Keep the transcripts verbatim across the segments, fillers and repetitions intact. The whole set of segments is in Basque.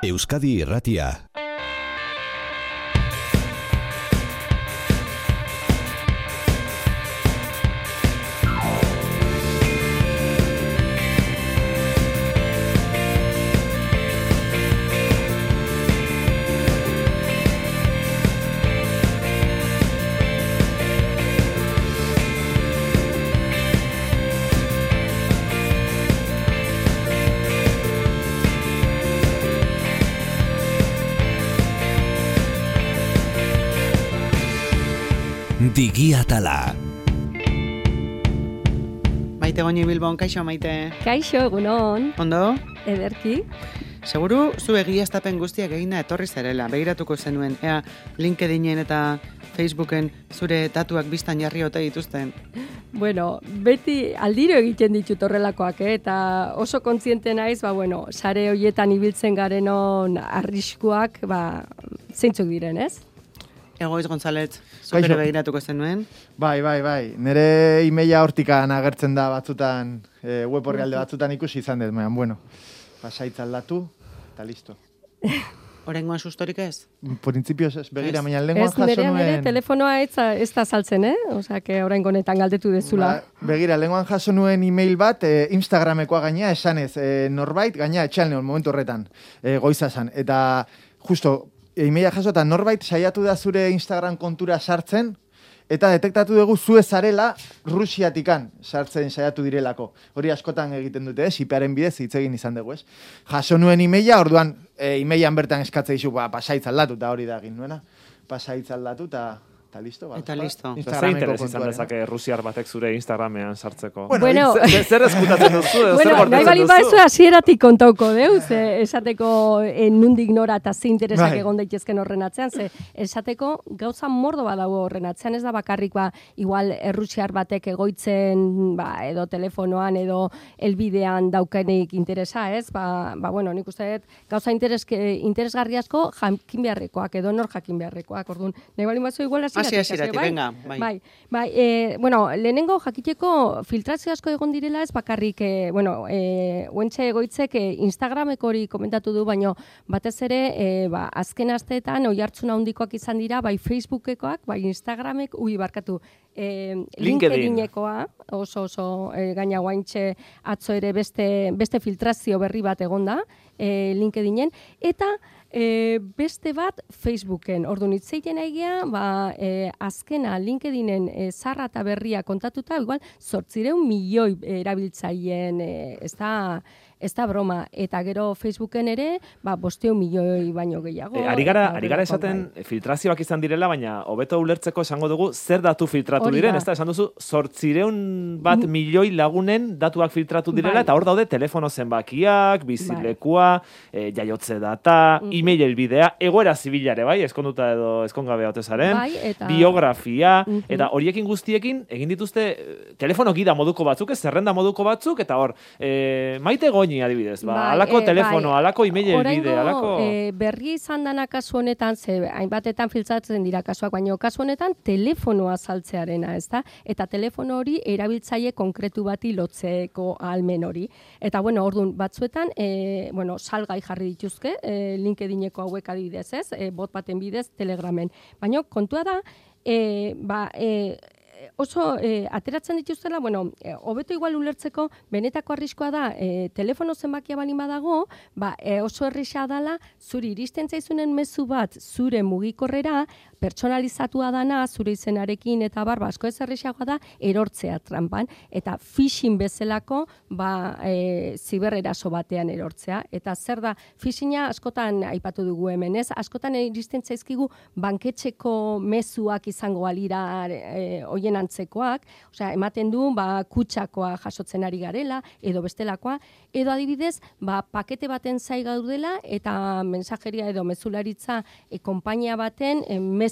Euskadi Irratia. Digiatala. Maite Goñi Bilbon, kaixo Maite. Kaixo, egunon. Ondo? Ederki. Seguru zu egiaztapen guztiak egina etorri zarela, begiratuko zenuen, ea LinkedInen eta Facebooken zure datuak biztan jarri ote dituzten. Bueno, beti aldiro egiten ditut horrelakoak, eh? Eta oso kontziente naiz, ba, bueno, sare horietan ibiltzen garenon arriskuak, ba, zeintzuk diren, ez? Egoiz González, zukere begiratuko zenuen? Bai, bai, bai. Nere emaila hortikan agertzen da batzutan, e, web orrialde batzutan ikusi izan dut, mehan, bueno, pasaitz aldatu, eta listo. Horengoan sustorik ez? Principios ez, begira, baina lenguan jaso nuen... Ez, nerean ere telefonoa ez, ez da saltzen, eh? Osa, que orain honetan galdetu dezula. Ba, begira, lenguan jaso nuen email bat, e, Instagramekoa gaina, esanez, e, norbait, gaina, etxal neon, momentu horretan, e, goiza esan. Eta, justo, emaila jaso eta norbait saiatu da zure Instagram kontura sartzen, eta detektatu dugu zue zarela Rusiatikan sartzen saiatu direlako. Hori askotan egiten dute, ez? I P aren bidez hitz egin izan dugu, ez? Jaso nuen emaila, orduan e, emailan bertan eskatze dizu, ba, pasaitz aldatu, eta hori da egin nuena. Pasaitz aldatu, eta... Eta listo, ba. Eta listo. Zer interes izan dezake rusiar batek zure Instagramean sartzeko? Bueno, zer eskutatzen duzu? Bueno, nahi bali baizu hasieratik kontauko deu, ze esateko eh, nundik nora eta ze interesak Bai. egon daitezken horren atzean, ze esateko gauza mordo badago horren atzean, ez da bakarrik ba, igual errusiar batek egoitzen ba, edo telefonoan edo elbidean daukenik interesa, ez? Ba, ba bueno, nik uste dut gauza interes, interesgarri asko jakin beharrekoak edo nor jakin beharrekoak, orduan. Nahi bali baizu igual Asi, asiratik, bai? venga. Bai, bai. bai e, bueno, lehenengo jakiteko filtrazio asko egon direla ez bakarrik, e, bueno, e, uentxe egoitzek e, Instagrameko hori komentatu du, baino batez ere, e, ba, azken asteetan oihartzun handikoak izan dira, bai Facebookekoak, bai Instagramek, ui, barkatu, e, LinkedInekoa, oso oso e, gaina guaintxe atzo ere beste, beste filtrazio berri bat egonda, e, LinkedInen, eta E, beste bat Facebooken. Orduan hitzeiten aigia, ba, e, azkena LinkedInen e, zarra eta berria kontatuta, igual zortzireun milioi erabiltzaileen, e, ez da... Ez da broma, eta gero Facebooken ere, ba, bosteun milioi baino gehiago. E, ari gara, ari gara esaten bai. Filtrazioak izan direla, baina hobeto ulertzeko esango dugu zer datu filtratu Hori diren. da. Ez da, esan duzu, zortzireun bat milioi lagunen datuak filtratu direla, Bai. eta hor daude telefono zenbakiak, bizilekua, bai. e, jaiotze data, mm. e-mail elbidea, egoera zibilare, bai, eskonduta edo eskongabe haute zaren, bai, eta... biografia, mm-hmm. eta horiekin guztiekin egin dituzte telefono gida moduko batzuk, ez zerrenda moduko batzuk, eta hor, e, Maite Goñi adibidez, ba, bai, alako e, telefono, bai. Alako email elbide, alako... E, berri izan dana kasu honetan, ze hainbatetan filtratzen dira kasuak, baina kasu honetan telefonoa saltzearena, ez da? Eta telefono hori erabiltzaile konkretu bati lotzeko ahalmen hori. Eta, bueno, orduan, batzuetan, e, bueno, salgai jarri dituzke, e, LinkedIneko hauek adibidez, ez? E, bot baten bidez, Telegramen. Baina, kontua da, e, ba, e, oso e, ateratzen dituztela, bueno, e, hobeto igual ulertzeko, benetako arriskoa da, e, telefono zenbakia balin badago, ba, e, oso errisa dala, zuri iristen zaizunen mezu bat, zure mugikorrera, pertsonalizatua dana, zure izenarekin eta bar, ba, asko ez errisagoa da, erortzea trampan, eta phishing bezalako, ba, e, zibereraso batean erortzea. Eta zer da, phishinga askotan aipatu dugu hemen, ez? Askotan iristen zaizkigu banketxeko mezuak izango alira e, oien antzekoak, osea, ematen du, ba, kutsakoa jasotzen ari garela, edo bestelakoa, edo adibidez, ba, pakete baten zai gaudela, eta mensajeria edo mezularitza e, konpainia baten e, mezu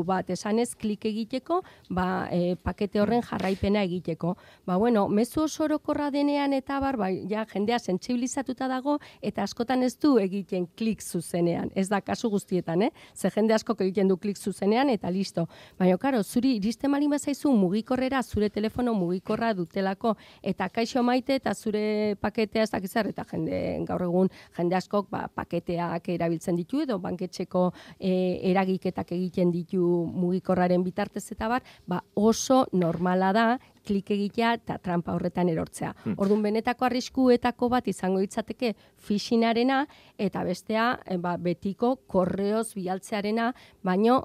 bat esanez klik egiteko, ba, e, pakete horren jarraipena egiteko. Ba, bueno, mezu oso orokorra denean eta bar, ba, ja, jendea sentsibilizatuta dago, eta askotan ez du egiten klik zuzenean. Ez da kasu guztietan, eh? Ze jende askok egiten du klik zuzenean, eta listo. Baina, karo, zuri iristen malin bazaizu badakizu mugikorrera zure telefono mugikorra dutelako, eta kaixo maite eta zure paketea ez dakizar, eta jende, gaur egun jende askok ba, paketeak erabiltzen ditu, edo banketxeko e, eragiketak egiten ditu mugikorraren bitartez eta bar, ba, oso normala da klik egitea eta trampa horretan erortzea. Hmm. Orduan, benetako arriskuetako bat izango itzateke phishingarena eta bestea ba, betiko korreoz bialtzearena, baino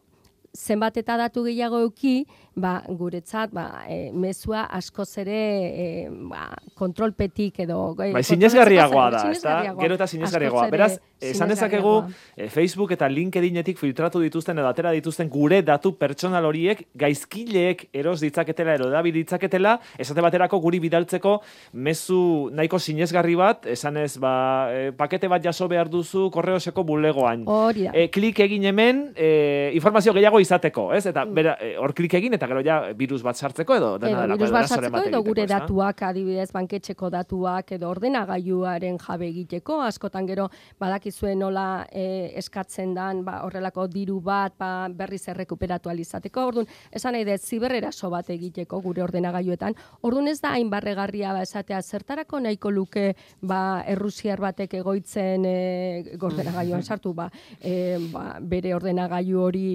zenbat eta datu gehiago euki, ba, guretzat ba, e, mezua askoz ere e, ba, kontrolpetik edo... E, bai, sinesgarriagoa da, ezta? Gero eta sinesgarriagoa. Beraz, esan dezakegu e, Facebook eta LinkedInetik filtratu dituzten edo atera dituzten gure datu pertsonal horiek gaizkileek eros ditzaketela edo edabil ditzaketela, esate baterako guri bidaltzeko mezu nahiko sinesgarri bat, esanez, ba, e, pakete bat jaso behar duzu korreoseko bulegoan. Hori da. E, klik egin hemen, e, informazio gehiago izateko, ez? Eta bera, hor klik egin eta gero ja virus bat sartzeko edo dena edo delako. Virus bat sartzeko edo gure datuak, adibidez, banketxeko datuak edo ordenagailuaren jabe egiteko, askotan gero badakizuen nola e, eskatzen dan ba, horrelako diru bat ba, berriz errekuperatu alizateko. Orduan, esan nahi dut, zibereraso bat egiteko gure ordenagailuetan. Orduan ez da hain barregarria ba, esatea zertarako nahiko luke ba, errusiar batek egoitzen e, ordenagailuan sartu ba, e, ba, bere ordenagailu hori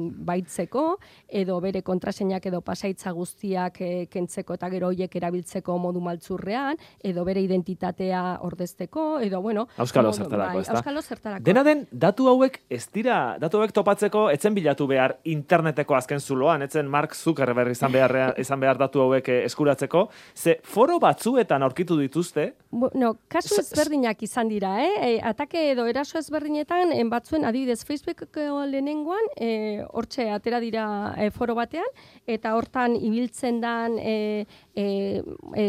baitzeko, edo bere kontraseinak edo pasaitza guztiak e, kentzeko eta gero hoiek erabiltzeko modu maltzurrean, edo bere identitatea ordezteko, edo bueno... Auskalo zertarako, bai, ez da? Auskalo zertarako. Dena den, datu hauek ez dira, datu hauek topatzeko etzen bilatu behar interneteko azken zuloan, etzen Mark Zuckerberg izan behar, izan behar datu hauek eskuratzeko, ze foro batzuetan aurkitu dituzte... Bueno, kasu ezberdinak izan dira, eh? E, atake edo eraso ezberdinetan, en batzuen adibidez Facebookeko lehenengoan, e, hortxe atera dira e, foro batean, eta hortan ibiltzen dan e, e, e,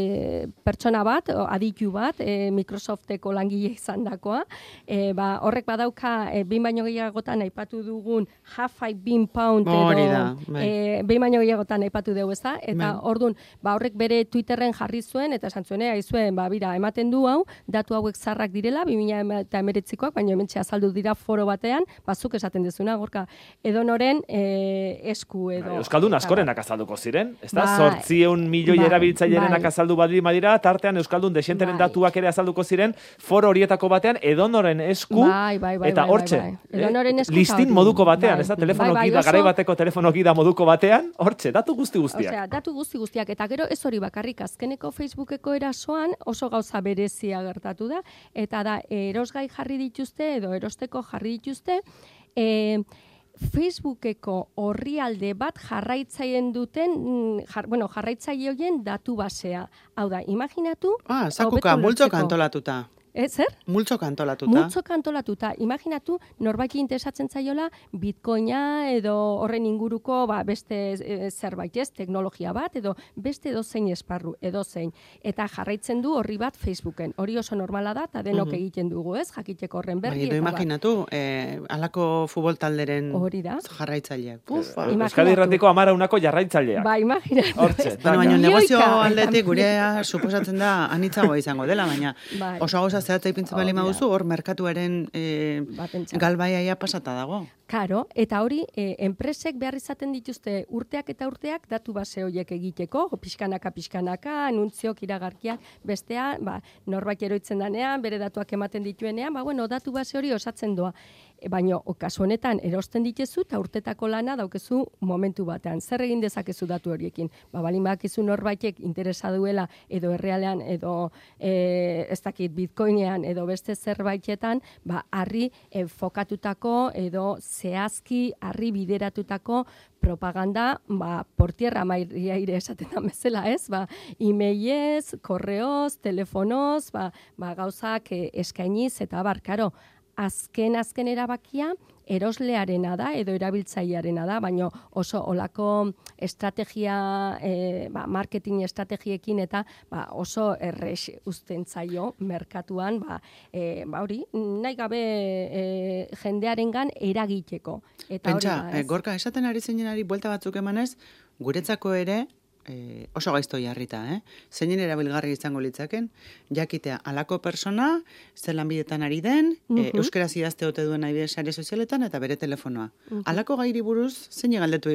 pertsona bat, aditu bat, e, Microsofteko langile izan dakoa, e, ba, horrek badauka, e, behin baino gehiagotan aipatu dugun half-five bean pound, edo e, behin baino gehiagotan aipatu dugu, ez da? Eta orduan, ba, horrek bere Twitterren jarri zuen, eta esan zuen, aizuen, ba, bira, ematen du hau, datu hauek zarrak direla, bi mila hemeretzikoak, baina hementxe azaldu dira foro batean, bazuk esaten dezuna, gorka, edonoren e, esku edo... Euskaldun askorenak azalduko ziren, ez da? Zortzieun milioi ba, erabiltzailerenak bai. azaldu badiri madira, tartean Euskaldun desenteren bai. datuak ere azalduko ziren, foro horietako batean, edonoren esku, bai, bai, bai, eta hortxe, bai, bai. Eh? listin moduko batean, bai. ez da? Telefono bai, bai, gida, garai bateko telefono gida moduko batean, hortxe, datu guzti guztiak. Osea, datu guzti guztiak, eta gero ez hori bakarrik, azkeneko Facebookeko erasoan oso gauza berezia gertatu da, eta da, erosgai jarri dituzte, edo erosteko jarri dituzte, e, Facebookeko orrialde bat jarraitzaien duten, jar, bueno, jarraitzaile horien datu basea. Hau da, imaginatu... Ah, zakuka, multzoka antolatuta. Ez, zer? Multzoka antolatuta. Multzoka antolatuta. Imaginatu, norbaiki interesatzen zaiola, bitcoina edo horren inguruko ba, beste e, zerbait ez, teknologia bat, edo beste edozein esparru, edozein. Eta jarraitzen du horri bat Facebooken. Hori oso normala da, eta denok mm-hmm. egiten dugu, ez? Jakiteko horren berri. Bai, edo imaginatu, eh, alako futbol talderen jarraitzaileak. Ufa. Euskadi Irratiko amara unako jarraitzaileak. Ba, imaginatu. Hortxe. Baina negozio aldetik gurea suposatzen da anitzagoa izango dela, baina bai. oso gauza zehatzea ipintzen bali maduzu, hor merkatuaren e, galbaiaia pasata dago. Karo, eta hori, e, enpresek behar izaten dituzte urteak eta urteak datu base horiek egiteko, pixkanaka, pixkanaka, anuntziok, iragarkiak, bestea, ba, norbait eroitzen danean, bere datuak ematen dituenean, ba, bueno, datu base hori osatzen doa. Baina, kasu honetan, erosten ditezu, eta urtetako lana daukezu momentu batean. Zer egin dezakezu datu horiekin? Ba, balin bakizu norbaitek interesa duela, edo errealean, edo e, ez dakit bitcoinean, edo beste zerbaitetan, ba, harri e, fokatutako, edo zehazki, harri bideratutako propaganda, ba, portierra mairia ire esaten da bezala, ez? Ba, e-mailez, korreoz, telefonoz, ba, ba, gauzak e, eskainiz, eta bar, karo, azken azken erabakia eroslearena da edo erabiltzailearena da, baina oso olako estrategia, e, ba, marketing estrategiekin eta ba, oso errex uzten zaio merkatuan, ba, e, ba hori, nahi gabe e, jendearengan eragiteko. Eta Pentsa, hori da, e, Gorka, esaten ari zeinenari buelta batzuk emanez, guretzako ere, e, oso gaizto jarrita, eh? Zeinen erabilgarri izango litzaken, jakitea alako persona, zelan bidetan ari den, mm -hmm. e, euskaraz idazte ote duen nahi sare sozialetan, eta bere telefonoa. Mm -hmm. Alako gairi buruz, zein galdetu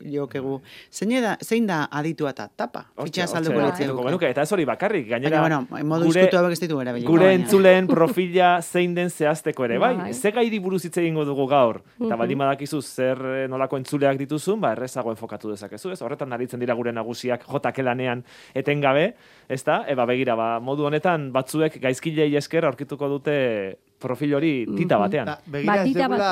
jokegu, zein da, zein da aditua eta tapa? Fitxa azalduko litzeko. Eta ez hori bakarrik, gainera, Baina, bueno, modu izkutu hauek ez ditu erabiliko. Gure entzuleen profila zein den zehazteko ere, bai? Ze gairi buruz hitz egingo dugu gaur, eta baldin badakizu zer nolako entzuleak dituzun, ba, errezago enfokatu dezakezu, ez? Horretan aritzen dira gure nagusiak jotake lanean etengabe, ezta? Eba begira, ba, modu honetan batzuek gaizkilei esker aurkituko dute profil hori tita batean. Da, begira, ez degula,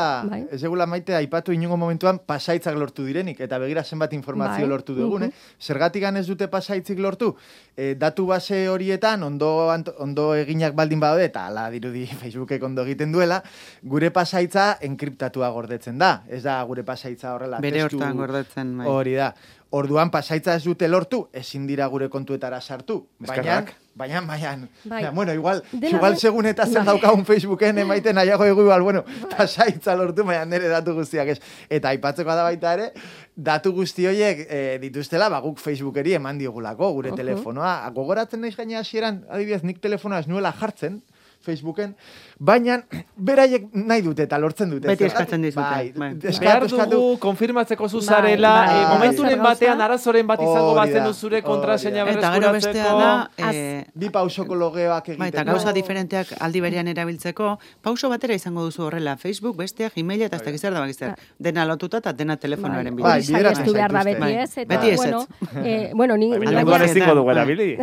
ez degula maite aipatu inungo momentuan pasaitzak lortu direnik, eta begira zenbat informazio bai. lortu dugun, eh? Zergatik ez dute pasaitzik lortu, e, datu base horietan ondo, ondo eginak baldin badaude, eta ala dirudi Facebookek ondo egiten duela, gure pasaitza enkriptatua gordetzen da. Ez da gure pasaitza horrela. Bere hortan gordetzen. Bai. Hori da. Orduan pasaitza ez dute lortu, ezin dira gure kontuetara sartu. Baina, baina, baina, bai. bueno, igual, igual bai. segun eta zer daukagun Facebooken emaiten nahiago egu igual, bueno, bai. pasaitza lortu, baina nire datu guztiak ez. Eta aipatzeko da baita ere, datu guzti horiek e, dituztela, ba, guk Facebookeri eman diogulako, gure uh -huh. telefonoa. Gogoratzen naiz gaina hasieran, adibidez, nik telefonoa ez nuela jartzen, Facebooken, baina beraiek nahi dute eta lortzen dute. Beti eskatzen dizute. Bai, bai. Behar dugu konfirmatzeko zuzarela, bai, bai, momenturen batean arazoren bat izango batzen duzure kontraseina berreskuratzeko. Eta gero bestea da, e, bi pausoko logeoak egiten. Bai, eta gauza diferenteak aldi berean erabiltzeko, pauso batera izango duzu horrela, Facebook, bestea, Gmaila eta ez dakiz zer da bakizter. Dena lotuta eta dena telefonoaren bidez. Bai, bideratzen zaituzte. Beti ez ez. Bueno, ni... Baina ezingo dugu erabili.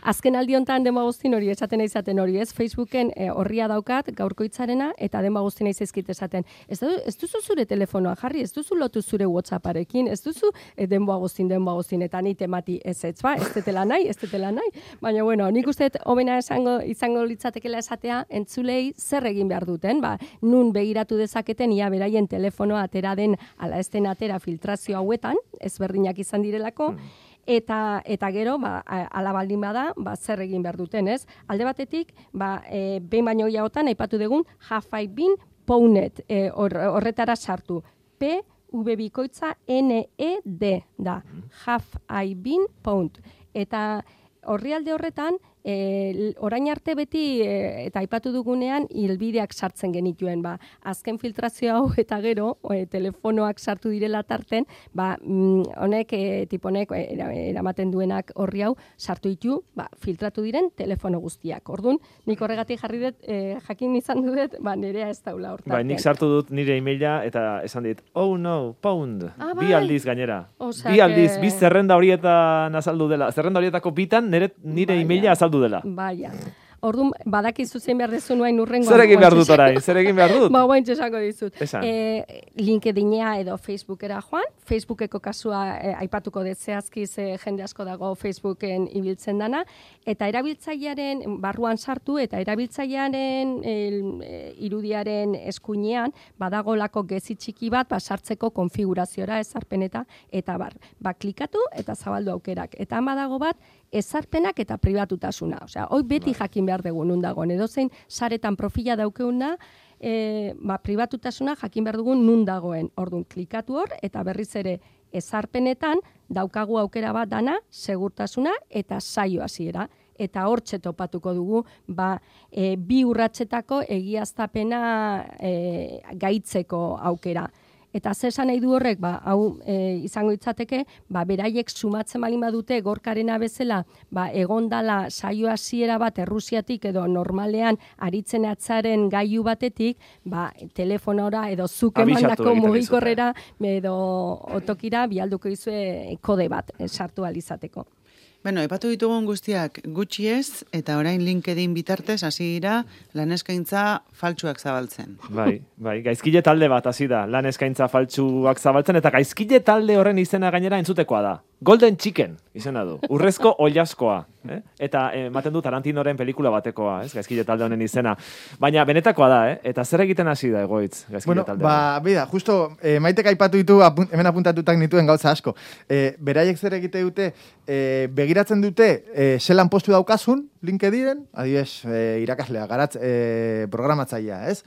Azken aldi hontan demagoztin hori esaten izaten hori, ez? Facebooken horria daukat gaurkoitzarena eta demagoztin izizkit esaten. Ez, du, ez duzu zure telefonoa jarri, ez duzu lotu zure WhatsApparekin, ez duzu e, demagoztin, demagoztin, eta ni temati ez ez, ba? Ez tetela nahi, ez tetela nahi. Baina, bueno, nik uste hobena esango, izango litzatekela esatea, entzulei zer egin behar duten, ba? Nun begiratu dezaketen, ia beraien telefonoa atera den, ala ez den atera filtrazio hauetan, ezberdinak izan direlako, Eta, eta gero, ba, ala baldin bada, ba, zer egin behar duten, ez? Alde batetik, ba, e, behin baino gehiagotan, aipatu dugun, have I been pwned, e, or, horretara sartu. P, V bikoitza, N, E, D, da. Have I been pwned. Eta horri alde horretan, E, orain arte beti e, eta aipatu dugunean hilbideak sartzen genituen, ba, azken filtrazio hau eta gero e, telefonoak sartu direla tarten, ba, mm, honek e, tiponek eramaten duenak horri hau sartu ditu, ba, filtratu diren telefono guztiak. Orduan, nik horregatik jarri dut, e, jakin izan dut, ba, nerea ez daula hortan. Bai, nik sartu dut nire emaila eta esan dit, oh no, pound, ah, bi bai. aldiz gainera. Osea, bi aldiz, bi zerrenda horietan azaldu dela, zerrenda horietako bitan nire, nire emaila azaldu dela. Baia. Orduan, badakizu zein behar dezu nuain urrengo. Zer egin behar dut orain? Zer egin behar dut? Ba, guain txesango dizut. E, LinkedInea edo Facebookera joan. Facebookeko kasua e, aipatuko dut zehazki ze jende asko dago Facebooken ibiltzen dana. Eta erabiltzailearen barruan sartu eta erabiltzailearen e, irudiaren eskuinean badagolako gezi txiki bat ba, sartzeko konfiguraziora ezarpeneta eta bar. Ba, klikatu eta zabaldu aukerak. Eta han badago bat ezarpenak eta pribatutasuna. Osea, hoi beti jakin behar dugu nun dagoen. Edozein saretan profila daukeuna, e, ba, pribatutasuna jakin behar dugu nun dagoen. Orduan, klikatu hor eta berriz ere ezarpenetan daukagu aukera bat dana, segurtasuna eta saio hasiera. Eta hortxe topatuko dugu ba, e, bi urratsetako egiaztapena e, gaitzeko aukera. Eta ze esan nahi du horrek, ba, hau e, izango itzateke, ba, beraiek sumatzen balin badute gorkarena bezala, ba, egondala saio hasiera bat Errusiatik edo normalean aritzen atzaren gailu batetik, ba, telefonora edo zuk emandako mugikorrera edo otokira bialduko izue kode bat sartu alizateko. Bueno, epatu ditugun guztiak gutxi ez, eta orain LinkedIn bitartez hasi dira lan eskaintza faltsuak zabaltzen. Bai, bai, gaizkile talde bat hasi da, lan eskaintza faltsuak zabaltzen, eta gaizkile talde horren izena gainera entzutekoa da. Golden Chicken izena du, urrezko oilaskoa. Eh? Eta ematen du Tarantinoren pelikula batekoa, ez? Gaizkile talde honen izena. Baina benetakoa da, eh? Eta zer egiten hasi da egoitz, gaizkile bueno, talde? Ba, bida, justo, eh, maitek aipatu ditu, apun, hemen apuntatutak nituen gauza asko. Eh, beraiek zer egite dute, eh, begiratzen dute, eh, zelan postu daukazun, LinkedInen, adibidez, eh, irakaslea, garatz, eh, programatzailea, ez?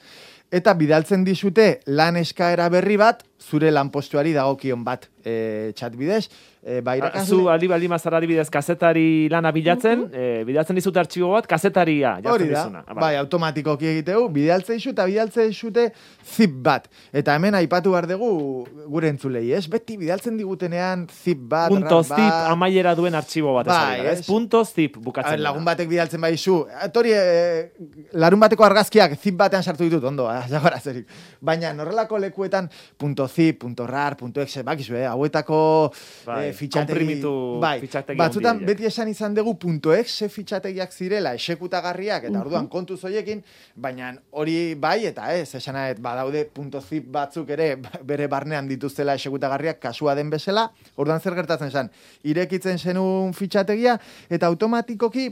eta bidaltzen dizute lan eskaera berri bat, zure lanpostuari dagokion bat e, chat bidez. E, ba, zu aldi baldi mazara adibidez kazetari lana bilatzen, uh -huh. e, bidaltzen dizute artxibo bat, kazetaria jartzen dizuna. Hori da, bai, automatikoki egiteu, bidaltzen dizute, eta bidaltzen dizute zip bat. Eta hemen aipatu behar dugu gure entzulei, ez? Beti bidaltzen digutenean zip bat, punto zip amaiera duen artxibo bat, bai, ez? ez? Punto zip bukatzen. A ver, lagun batek bidaltzen baizu, etori, e, larun bateko argazkiak zip batean sartu ditut, ondo, jagora zerik. Baina norrelako lekuetan punto zip, punto rar, punto exe, bakizu, eh? Hauetako bai, eh, fitxategi, bai, batzutan beti esan izan dugu punto exe fitxategiak zirela, esekutagarriak, eta orduan kontuz hoiekin, baina hori bai, eta ez, esanaet, badaude punto zip batzuk ere bere barnean dituztela esekutagarriak kasua den bezala, orduan zer gertatzen zen, irekitzen zenun fitxategia, eta automatikoki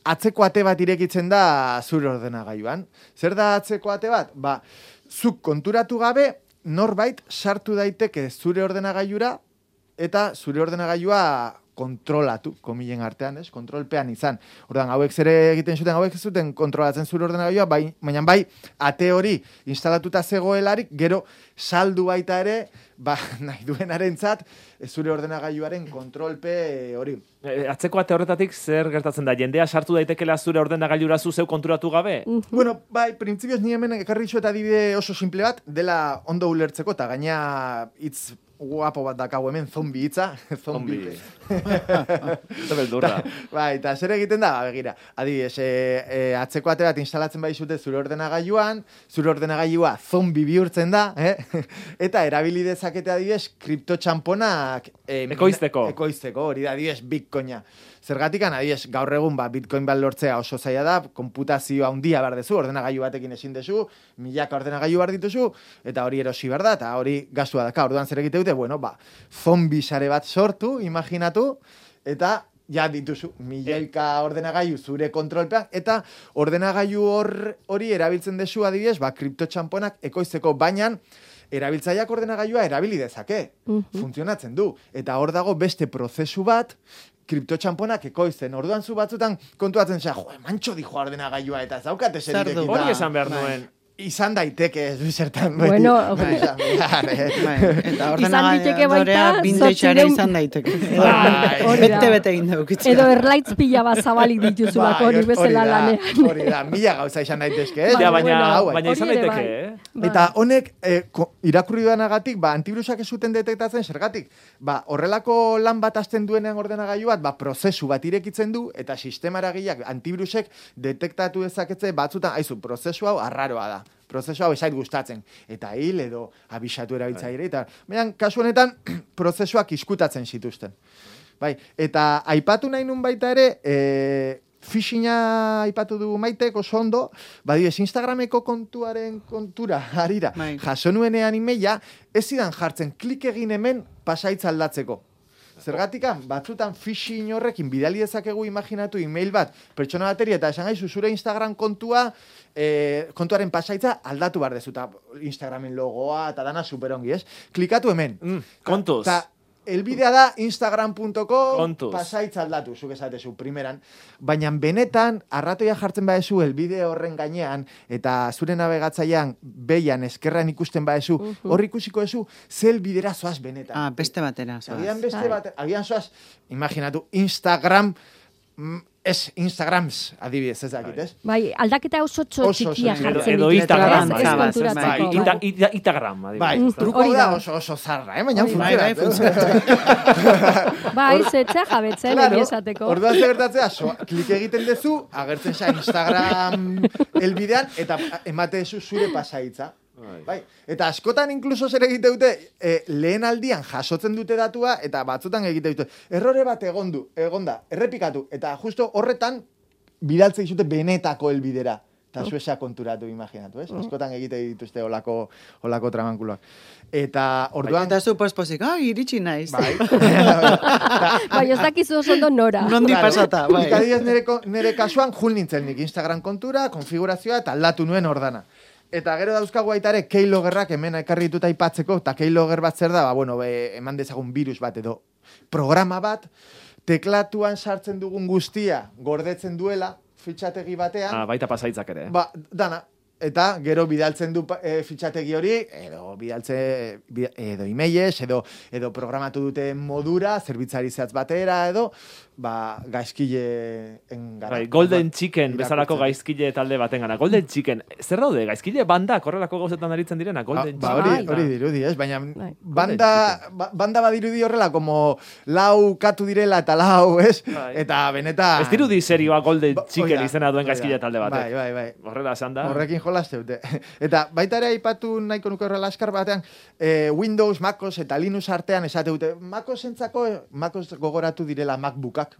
atzeko ate bat irekitzen da zure ordenagailuan. Zer da atzeko ate bat? Ba, zuk konturatu gabe, norbait sartu daiteke zure ordenagailura eta zure ordenagailua kontrolatu, komilen artean, ez? Kontrolpean izan. Ordan hauek zere egiten zuten, hauek zuten kontrolatzen zure ordenagailua, bai, baina bai, ate hori instalatuta zegoelarik, gero saldu baita ere, ba, nahi duenarentzat, zure ordenagailuaren kontrolpe hori. E, atzeko ate horretatik zer gertatzen da? Jendea sartu daitekela zure ordenagailura zu zeu konturatu gabe? Uh -huh. Bueno, bai, printzipioz ni hemen ekarri zu eta adibide oso simple bat, dela ondo ulertzeko, eta gaina hitz guapo bat dakau hemen, zombi hitza. Zombi. Eta beldurra. Bai, eta zer egiten da, begira. Adibidez, e, e, atzeko ate bat instalatzen bai zute zure ordenagailuan, zure ordenagailua zombi bihurtzen da, eh? Eta erabili dezakete adibidez, kriptotxamponak e, ekoizteko. Ekoizteko, hori da, adibidez, bitcoina. Zergatikan, adibidez, gaur egun ba, bitcoin bat lortzea oso zaila da, konputazioa handia behar dezu, ordenagailu batekin ezin dezu, milaka ordenagailu behar dituzu, eta hori erosi behar da, eta hori gastua daka. Orduan zer egite dute, bueno, ba, zombi sare bat sortu, imaginatu, eta ja dituzu, milaika ordenagailu zure kontrolpean, eta ordenagailu hor, hori erabiltzen dezu adibidez, ba, kriptotxamponak ekoizteko, baina erabiltzaileak ordenagailua erabili dezake, uh -huh. funtzionatzen du, eta hor dago beste prozesu bat, kriptotxamponak ekoizten. Orduan zu batzutan kontuatzen zea, jo, mantxo dijo ordenagailua eta ez daukate zeritek. Hori esan behar nuen. Izan daiteke, ez zertan. Bueno, bai. Eta ordenagailua bintexare izan daiteke. Bete-bete egin daukitza. Edo erlaitz pila bat zabalik dituzulak hori bezala lanean. Hori da, mila gauza izan daitezke. Baina izan daiteke, eh? Eta honek, irakurri duanagatik, ba, antivirusak ez zuten detektatzen, zergatik, ba, horrelako lan bat azten duenean ordenagailu bat, ba, prozesu bat irekitzen du, eta sistemara gehiak antivirusek detektatu dezaketze batzutan, haizu, prozesu hau arraroa da. Prozesu hau esait gustatzen. Eta hil edo abisatu erabiltzaile. Eta, baina, kasu honetan, prozesuak iskutatzen zituzten. Bai, eta aipatu nahi nun baita ere, e, phishinga aipatu du Maitek oso ondo, badiez Instagrameko kontuaren kontura, harira, jaso nuenean emaila, ez zidan jartzen, klik egin hemen pasaitza aldatzeko. Zergatikan, batzutan phishing horrekin bidali dezakegu imaginatu email bat, pertsona bateri, eta esan gaizu zure Instagram kontua, e, kontuaren pasaitza aldatu behar dezu, eta Instagramen logoa, eta dana superongi, ez? Klikatu hemen. Mm, kontuz. Ta, elbidea da instagram punto com pasaitza aldatu, zuk esatezu, primeran. Baina benetan, arratoia jartzen badezu elbide horren gainean, eta zure navegatzailean behian eskerran ikusten badezu, uh -huh. hor ikusiko ezu, ze elbidera zoaz benetan. Ah, beste batera. Zoaz. Agian beste batera, agian zoaz, imaginatu, Instagram, ez Instagrams, adibidez, ez dakit, ez? Bai, aldaketa oso txikia jartzen edo Instagram, Instagram, adibidez. Bai, truko da oso oso zarra, eh? Baina funtzionatzen. Bai, zetzea jabetzen, egia esateko. Orduan zegertatzea, klik egiten dezu, agertzen za Instagram elbidean, eta emate dezu zure pasaitza. Bai. Eta askotan inkluso zer egite dute, e, lehen aldian jasotzen dute datua, eta batzutan egite dute, errore bat egondu, egonda, errepikatu, eta justo horretan bidaltze dizute benetako helbidera. Eta zuesa konturatu, imaginatu, ez? Askotan egite dituzte olako, olako tramankuloak. Eta orduan... Eta zu pospozik, ah, iritsi naiz. Bai. Bai, ez dakizu oso ondo nora. Nondi pasata, bai. Ikadidez nire, nire kasuan, jul nintzen nik Instagram kontura, konfigurazioa, eta aldatu nuen ordana. Eta gero dauzkagu baita ere keyloggerrak hemen ekarri dituta aipatzeko, eta keylogger bat zer da, ba, bueno, be, eman dezagun virus bat edo programa bat, teklatuan sartzen dugun guztia gordetzen duela, fitxategi batean. Ah, baita pasaitzak ere. Ba, dana, eta gero bidaltzen du e, fitxategi hori, edo bidaltze, bid, edo emailez, edo, edo programatu dute modura, zerbitzari zehatz batera, edo, ba, gaizkile engara. Bai, Golden Chicken, bezalako gaizkile talde baten gana. Golden Chicken, zer daude, gaizkile banda, korrelako gauzetan aritzen direna, Golden ba, Chicken. Hori, hori dirudi, ez? Baina banda, ba, banda badirudi horrela, como lau katu direla eta lau, ez? Bai. Eta benetan... Ez dirudi serioa Golden ba, Chicken oida, izena duen gaizkile talde batek. Bai, bai, bai. Horrela esan da. Horrekin jolaste dute. Eta baita ere aipatu nahiko nuke horrela askar batean, eh, Windows, MacOS eta Linux artean esate dute. MacOS entzako, MacOS gogoratu direla MacBookak,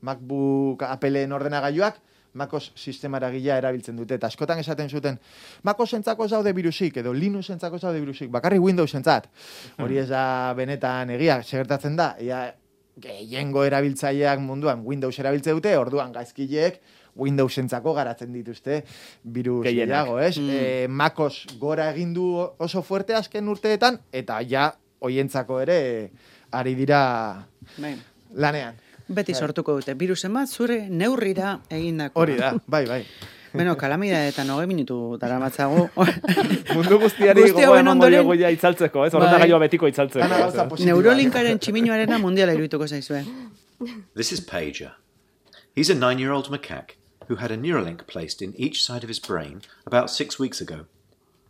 MacBook Appleen ordenagailuak, MacOS sistemara gila erabiltzen dute. Eta askotan esaten zuten, MacOS entzako zaude virusik, edo Linux entzako zaude virusik, bakarri Windows entzat. Hori ez da benetan egia, segertatzen da, ia, gehiengo erabiltzaileak munduan Windows erabiltze dute, orduan gaizkileek Windows entzako garatzen dituzte virus gehiago, ez? Mm. E, MacOS gora egin du oso fuerte azken urteetan, eta ja, hoientzako ere, ari dira Bain. lanean. Beti bai. Sortuko dute, virusen bat zure neurrira egindako. Hori da, bai, bai. Bueno, kalamida eta noge minutu dara matzago. Mundu guztiari gogoa emango diogu ja itzaltzeko, ez? Ordenagailua betiko itzaltzeko. Neurolinkaren tximinoarena mundiala iruituko zaizue. This is Pager. He's a nine-year-old macaque who had a Neuralink placed in each side of his brain about six weeks ago.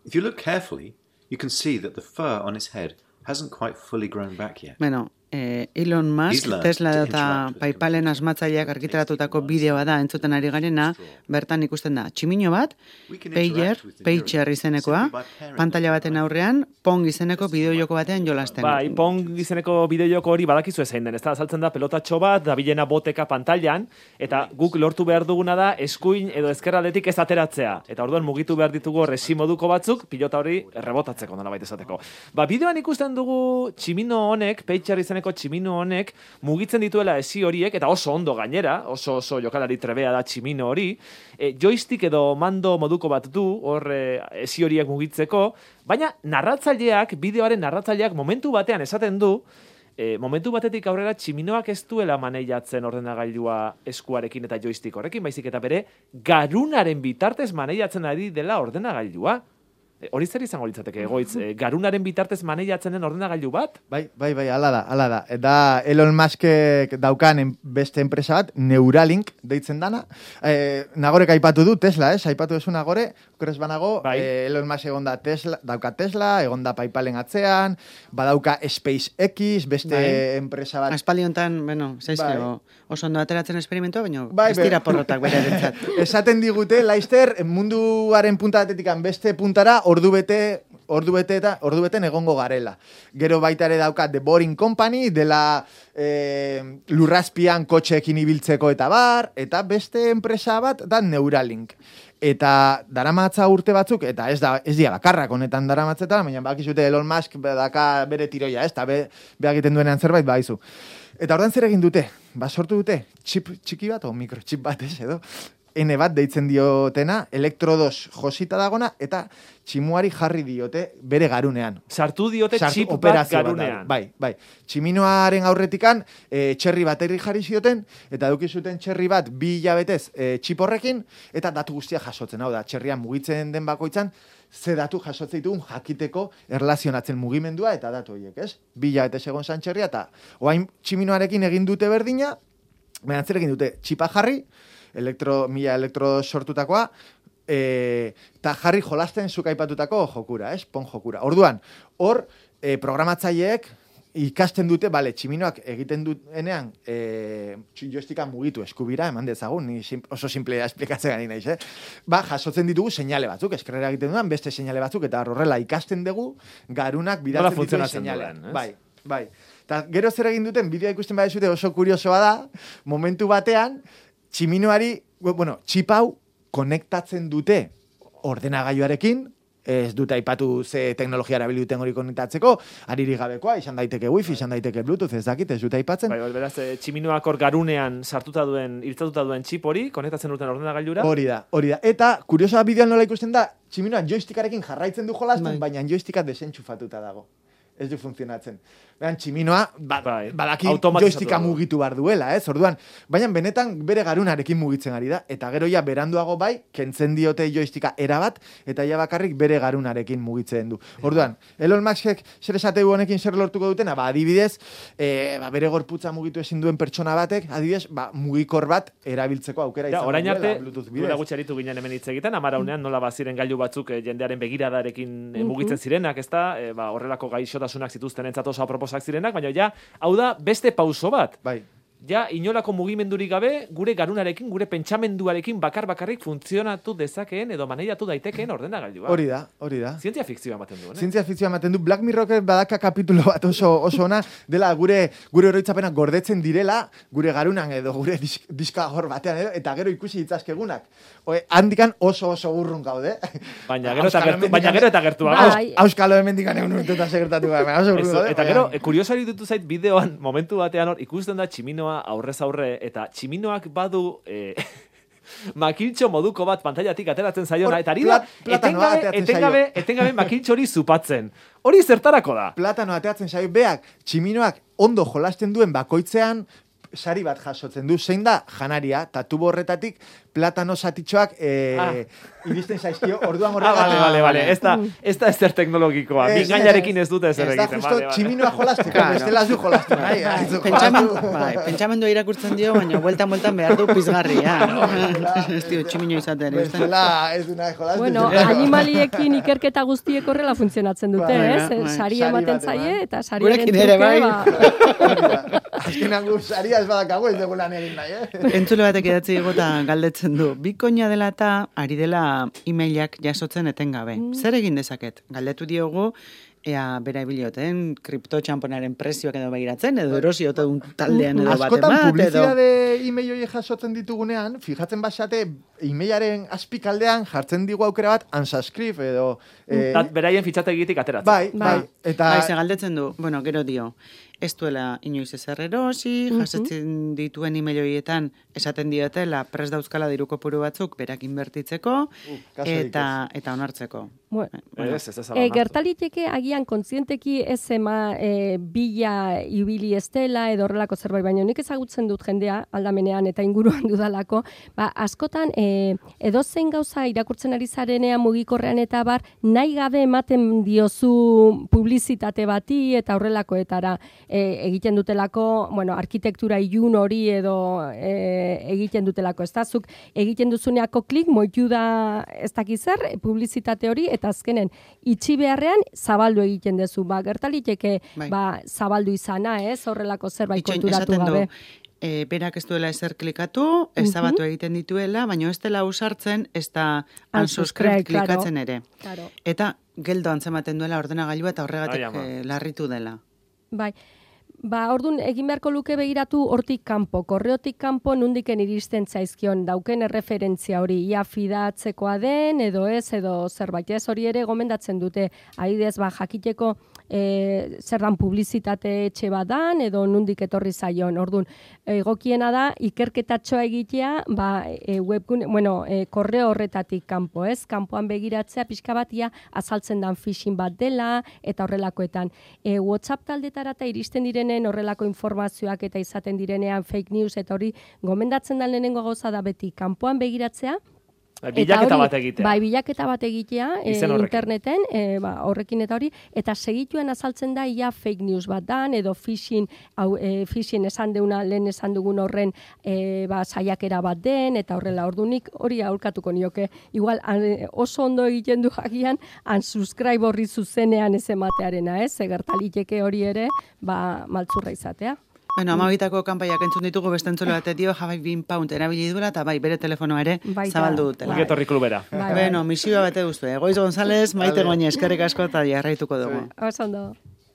If you look carefully, you can see that the fur on his head hasn't quite fully grown back yet. Bueno, eh, Elon Musk, Tesla eta PayPalen asmatzaileak argitaratutako bideoa da entzuten ari garena, bertan ikusten da, tximino bat, Pager, Pager izenekoa, pantalla baten aurrean, Pong izeneko bideojoko batean jolasten. Bai, Pong izeneko bideojoko hori badakizu ezein den, ez da, azaltzen da pelotatxo bat, dabilena boteka pantailan, eta guk lortu behar duguna da, eskuin edo ezkerraldetik ez ateratzea. Eta orduan mugitu behar ditugu resi moduko batzuk, pilota hori rebotatzeko, nola baita esateko. Ba, bideoan ikusten dugu tximino honek, Pager izeneko tximino honek mugitzen dituela esi horiek, eta oso ondo gainera, oso oso jokalari trebea da tximino hori, e, joystick edo mando moduko bat du, hor e, esi horiek mugitzeko, baina narratzaileak, bideoaren narratzaileak momentu batean esaten du, e, momentu batetik aurrera tximinoak ez duela maneiatzen ordenagailua eskuarekin eta joystick horrekin, baizik eta bere garunaren bitartez maneiatzen ari dela ordenagailua. Hori zer izango litzateke, egoitz, e, garunaren bitartez maneiatzen den ordenagailu bat? Bai, bai, bai, ala da, ala da. Eta Elon Muskek daukan en, beste enpresa bat, Neuralink deitzen dana. E, nagorek aipatu du Tesla, ez? Aipatu esu nagore, okres banago, bai. e, Elon Musk egon da Tesla, dauka Tesla, egon da PayPalen atzean, badauka SpaceX, beste bai. enpresa bat. Aspaliontan, bueno, zaizke, bai. oso ondo ateratzen esperimentua, baina bai, ez dira porrotak bere erentzat. Esaten digute, Laister, munduaren punta batetikan beste puntara, ordu bete, ordu bete eta ordu beten egongo garela. Gero baita ere dauka The Boring Company, dela e, lurrazpian kotxeekin ibiltzeko eta bar, eta beste enpresa bat da Neuralink. Eta daramatza urte batzuk, eta ez da ez dira bakarrak honetan daramatzetan, baina bakizute Elon Musk daka bere tiroia, ez da, be, be egiten duenean zerbait baizu. Eta ordan zer egin dute? Ba, sortu dute, chip txiki bat, o mikrochip bat, ez edo? N bat deitzen diotena, elektrodos josita dagona, eta tximuari jarri diote bere garunean. Sartu diote Sartu, chip bat garunean. Bat, bai, bai. Tximinoaren aurretikan, e, txerri baterri jarri zioten, eta dukizuten txerri bat bi hilabetez e, txip horrekin, eta datu guztia jasotzen. Hau da, txerrian mugitzen den bakoitzan, ze datu jasotzen ditugun jakiteko erlazionatzen mugimendua eta datu horiek, ez? Bi hilabetez egon zan txerria, eta oain tximinoarekin egin dute berdina, baina zer egin dute txipa jarri, elektro, mila elektro sortutakoa, eta e, jarri jolasten zuk aipatutako jokura, ez? Pon jokura. Orduan, hor, e, programatzaileek ikasten dute, bale, tximinoak egiten duenean, e, joysticka mugitu eskubira, eman dezagun, ni sim, oso simplea esplikatzen gani naiz, eh? Ba, jasotzen ditugu seinale batzuk, eskerrera egiten duan, beste seinale batzuk, eta horrela ikasten dugu, garunak bidatzen dituen seinalean. Bai, bai. Eta gero zer egin duten, bideoa ikusten badezute oso kuriosoa da, momentu batean, tximinoari, bueno, txip hau konektatzen dute ordenagailuarekin, ez dute aipatu ze teknologia erabili duten hori konektatzeko, ariri gabekoa, izan daiteke wifi, izan daiteke bluetooth, ez dakit, ez dute aipatzen. Bai, beraz, tximinoak hor garunean sartuta duen, irtzatuta duen txip hori, konektatzen duten ordenagailura. Hori da, hori da. Eta, kuriosoa bideoan nola ikusten da, tximinoan joystickarekin jarraitzen du jolasten, bai. Baina joysticka desentxufatuta dago. ez du funtzionatzen. Behan, tximinoa, ba, bai. badaki joysticka mugitu bar duela, ez? Orduan, baina benetan bere garunarekin mugitzen ari da, eta gero ja beranduago bai, kentzen diote joysticka erabat, eta ja bakarrik bere garunarekin mugitzen du. Orduan, Elon Muskek zer esateu honekin zer lortuko dutena, ba, adibidez, e, ba, bere gorputza mugitu ezin duen pertsona batek, adibidez, ba, mugikor bat erabiltzeko aukera izan orain arte, duela gutxi aritu ginen hemen hitz egiten, amaraunean nola baziren gailu batzuk e, jendearen begiradarekin e, mugitzen zirenak, ez da, e, ba, horrelako gaixotasunak zituzten entzat oso aproposak zirenak, baina ja, hau da, beste pauso bat. Bai. Ja, inolako mugimendurik gabe, gure garunarekin, gure pentsamenduarekin bakar-bakarrik funtzionatu dezakeen edo maneiratu daitekeen ordenagailua. Hori da, hori da. Zientzia fikzioa ematen du, ne? Zientzia fikzioa ematen du. Black Mirror badaka kapitulo bat oso oso ona, dela gure gure oroitzapena gordetzen direla, gure garunan edo gure disk, diska hor batean edo, eta gero ikusi ditzazkegunak. Oe, handikan oso oso urrun gaude. Baina gero eta gertu, baina gero eta gertu. Auskalo hemendikan egun urtetan segertatu gara. Eta gero, kuriosari dutu zait bideoan, momentu batean hor, ikusten da tximinoa aurrez aurre, eta tximinoak badu eh, makiltxo moduko bat pantailatik ateratzen zaiona, eta ari da, etengabe, etengabe, etengabe makiltxo hori zupatzen. Hori zertarako da? Platano ateratzen zaio, beak, tximinoak ondo jolasten duen bakoitzean, sari bat jasotzen du, zein da janaria, eta tubo horretatik platano satitxoak eh, ah. iristen zaizkio, orduan horregatik. Ah, vale, vale, vale. Ez da, ez da ezer teknologikoa. Es, Mingainarekin ez dute ezer egiten. Ez da justo tximinoa jolasteko, claro. Bestela zu jolastu. Bai, bai, pentsamendua irakurtzen dio, baina bueltan-bueltan behar du pizgarria. Ez dio, tximino izaten. Bestela ez du nahi jolastu. Bueno, animaliekin ikerketa guztiek horrela funtzionatzen dute, ez? Sari ematen zaie, eta sariaren truke, azkenan gu saria ez badakago ez dugu lan egin nahi, eh? Entzule batek edatzi egota galdetzen du. Bikoina dela eta ari dela emailak jasotzen etengabe. Mm. Zer egin dezaket? Galdetu diogu, ea bera ibilioten, kriptotxamponaren prezioak edo begiratzen, edo erosiote un taldean edo batemat. Askotan publizidade e-mail hori jasotzen ditugunean, fijatzen basate, e-mailaren azpikaldean jartzen digu aukera bat, unsubscribe edo... Eh, beraien fitxategitik ateratzen. Bai, bai. Eta... Bai, ze galdetzen du, bueno, gero dio, ez duela inoiz ezer erosi, uh-huh. jasetzen dituen e-mail horietan esaten diotela prest dauzkala diru kopuru batzuk berak inbertitzeko uh, eta eta onartzeko. Bueno, bueno. Ez, ez, ez e, gertaliteke agian kontzienteki ez ema e, bila ibili estela edo horrelako zerbait, baina nik ezagutzen dut jendea aldamenean eta inguruan dudalako, ba, askotan e, edozein gauza irakurtzen ari zarenean mugikorrean eta bar, nahi gabe ematen diozu publizitate bati eta horrelakoetara. E, egiten dutelako, bueno, arkitektura ilun hori edo e, egiten dutelako, ez da, zuk egiten duzuneako klik, moitu da ez dakizer, publizitate hori, eta azkenen, itxi beharrean, zabaldu egiten duzu, ba, gertaliteke, bai. Ba, zabaldu izana, ez, horrelako zerbait konturatu gabe. E, berak ez duela ezer klikatu, ezabatu uh-huh. egiten dituela, baina ez dela usartzen, ez da unsubscribe klikatzen ere. Claro. Eta geldo antzematen duela ordenagailua eta horregatik eh, larritu dela. Bai, ba, orduan, egin beharko luke begiratu hortik kanpo, korreotik kanpo nundiken iristen zaizkion dauken erreferentzia hori, ia fidatzekoa den, edo ez, edo zerbait ez hori ere gomendatzen dute, adibidez, ba, jakiteko e, zer dan publizitate etxe badan, edo nundik etorri zaion, orduan, egokiena da, ikerketatxoa egitea, ba, e, webgun, bueno, e, korreo horretatik kanpo, ez, kanpoan begiratzea, pixka bat, ia, azaltzen dan phishing bat dela, eta horrelakoetan. E, WhatsApp taldetara eta iristen direnen horrelako informazioak eta izaten direnean fake news eta hori gomendatzen da lehenengo gauza da beti kanpoan begiratzea. Bilaketa bat egitea. Bai, bilaketa bat egitea e, interneten, e, ba, horrekin eta hori, eta segituen azaltzen da ia fake news bat dan, edo phishing, hau, e, phishing esan deuna, lehen esan dugun horren e, ba, saiakera bat den, eta horrela ordunik hori aurkatuko nioke. Igual an, oso ondo egiten du jakian, unsubscribe horri zuzenean ez ematearena, ez? Gertaliteke hori ere, ba, maltzurra izatea. Bueno, amabitako kanpaiak entzun ditugu beste entzule batek dio, jabai bin pound erabili duela, eta bai, bere telefonoa ere Baita. zabaldu dutela. Bai. Etorri klubera. Bai, bueno, misioa bate guztu. Goiz González, Maite vale. Goñi, eskerrik asko eta jarraituko dugu. Oso ondo.